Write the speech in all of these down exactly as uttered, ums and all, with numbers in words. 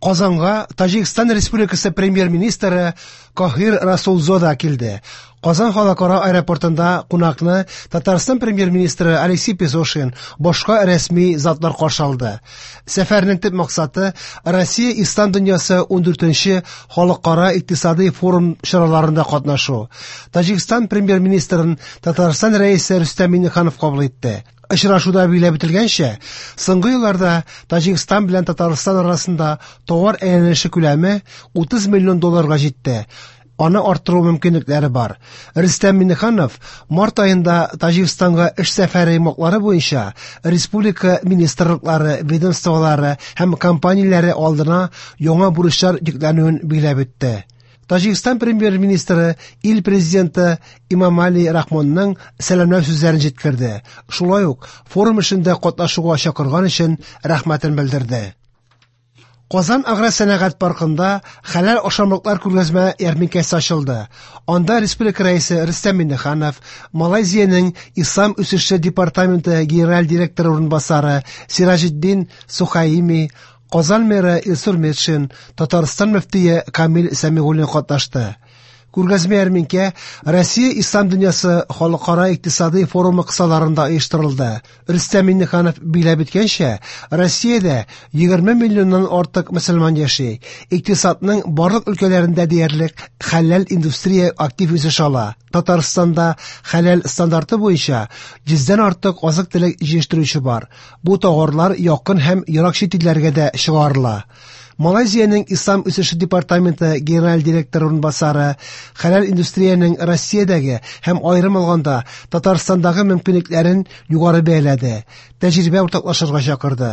Казанга Таҗикстан Республикасы премьер-министры Кохир Расулзода килде. Казан халыкара аэропортында кунакны Татарстан премьер-министры Алексей Песошин, башка рәсми затлар каршы алды. Сәфәрнең төп максаты Россия Ислам дөньясы ундүртенче халыкара икътисади форум чараларында катнашу. Таҗикстан премьер-министрын Татарстан рәисе Рөстәм Миңнеханов кабул итте. Очрашуда билгеләп үтелгәнчә, соңгы елларда Таҗикстан белән Татарстан арасында товар әйләнеше күләме утыз миллион долларга җитте. Аны арттыру мөмкинлекләре бар. Рөстәм Миңнеханов март аенда Таҗикстанга эш сәфәре йомгаклары буенча республика министрлыклары, ведомстволары һәм компанияләре алдына яңа бурычлар йөкләнүен билгеләп үтте. Таҗикстан премьер-министры ил президенты Имамали Рахмонның сәламләү сүзләрен җиткерде. Шулай ук форум эшендә катнашуга чакырган өчен рәхмәтен белдерде. Казан агросәнәгать паркында хәләл ашамлыклар күргәзмә ярминкәсе ачылды. Анда республика рәисе Рөстәм Миңнеханов, Малайзиянең Ислам үсеше департаменты генераль директоры урынбасары Сираҗетдин Сухаими, Казан мэры Илсур Метшин, Татарстан мөфтие Камил Сәмигуллин катнашты. Күргәзмә ярминкә Россия Ислам дөньясы халыкара икътисади форумы кысаларында оештырылды. Рөстәм Миңнеханов билгеләп үткәнчә, Россиядә егерме миллионнан артык мөселман яши. Икътисадның барлык өлкәләрендә диярлек хәләл индустрия актив үсеш ала. Татарстанда хәләл стандарты буенча йөздән артык азык-төлек җитештерүче бар. Бу товарлар якын һәм ерак чит илләргә дә чыгарыла. Малайзиянең Ислам үсеше департаменты генераль директоры урынбасары хәләл индустриянең Россиядәге һәм аерым алганда Татарстандагы мөмкинлекләрен югары бәяләде, тәҗрибә уртаклашырга чакырды.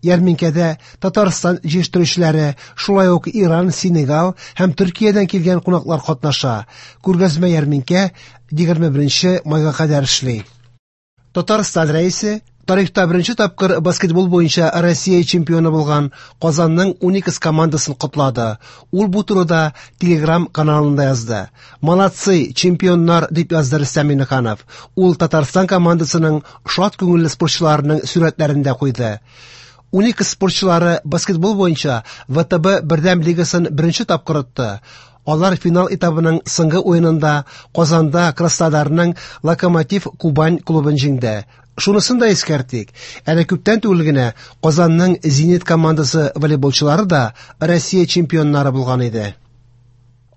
Ярминкәдә Татарстан җитештерүчеләре, шулай ук Иран, Сенегал һәм Төркиядән килгән кунаклар катнаша. Күргәзмә ярминкә егерме беренче майга кадәр эшли. Татарстан рәисе тарихта беренче тапкыр баскетбол буенча Россия чемпионы булган Казанның Уникс командасын котлады. Ул бу турыда Telegram каналында язды. Молодцы, чемпионнар, дип язды Рөстәм Миңнеханов. Ул Татарстан командасының шат күңелле спортчыларының сурәтләрен дә куйды. Уникс спортчылары баскетбол буенча вэ тэ бэ бердәм лигасын беренче тапкыр отты. Алар финал этабының соңгы уенында Казанда Краснодарның Локомотив Кубань клубын җиңде. Шунысын да искәртик, әле күптән түгел генә Казанның Зенит командасы волейболчылары да Россия чемпионнары булган иде.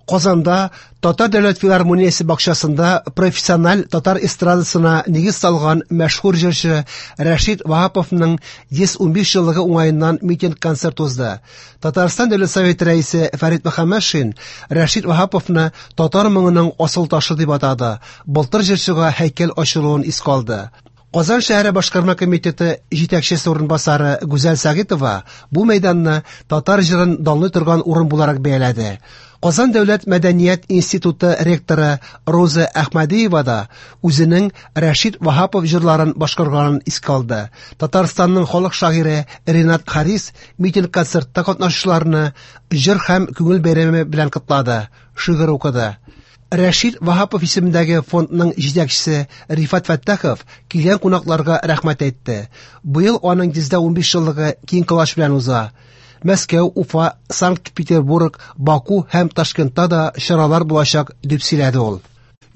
Казанда Татар дәүләт филармониясе бакчасында профессиональ татар эстрадасына нигез салган мәшһүр җырчы Рәшит Ваһаповның йөз унбиш еллыгы уңаеннан митинг-концерт узды. Татарстан Дәүләт Советы рәисе Фәрит Мөхәммәтшин Рәшит Ваһаповны татар моңының асыл ташы дип атады. Былтыр җырчыга һәйкәл ачылуын искә алды. Казан шәһәре башкарма комитеты җитәкчесе урынбасары Гүзәл Сәгитова бу мәйданны татар җырын данлый торган урын буларак бәяләде. Казан дәүләт мәдәният институты ректоры Роза Әхмәдиева да үзенең Рәшит Ваһапов җырларын башкарганын искә алды. Татарстанның халык шагыйре Ренат Харис митинг-концертта катнашучыларны җыр һәм күңел бәйрәме белән котлады, шигырь укыды. Рәшит Ваһапов исемендәге фондның җитәкчесе Рифат Фәттахов килгән кунакларга рәхмәт әйтте. Быел аның йөздә унбиш еллыгы киң колач белән уза. Мәскәү, Уфа, Санкт-Петербург, Баку һәм Ташкентта да чаралар булачак, дип сөйләде ул.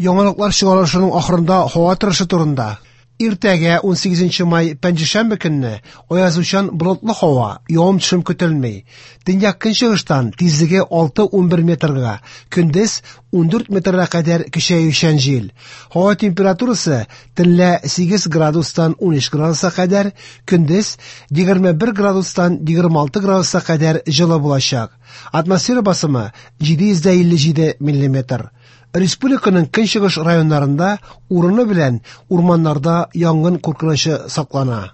Яңалыклар чыгарылышының ахырында һава торышы турында. Иртәгә унсигезенче май пәнҗешәмбе көнне аязучан болытлы һава, явым-төшем көтелми. Төньяк көнчыгыштан тизлеге алты унбер метрга, көндез ундүрт метрга кадәр көчәючән җил. Һава температурасы төнлә сигез градустан унөч градуска кадәр, көндез егерме бер градустан егерме алты градуска кадәр җылы булачак. Атмосфера басымы җиде йөз дә илле җиде миллиметр. Республиканың көнчыгыш районнарында урыны белән урманнарда янгын куркынычы саклана.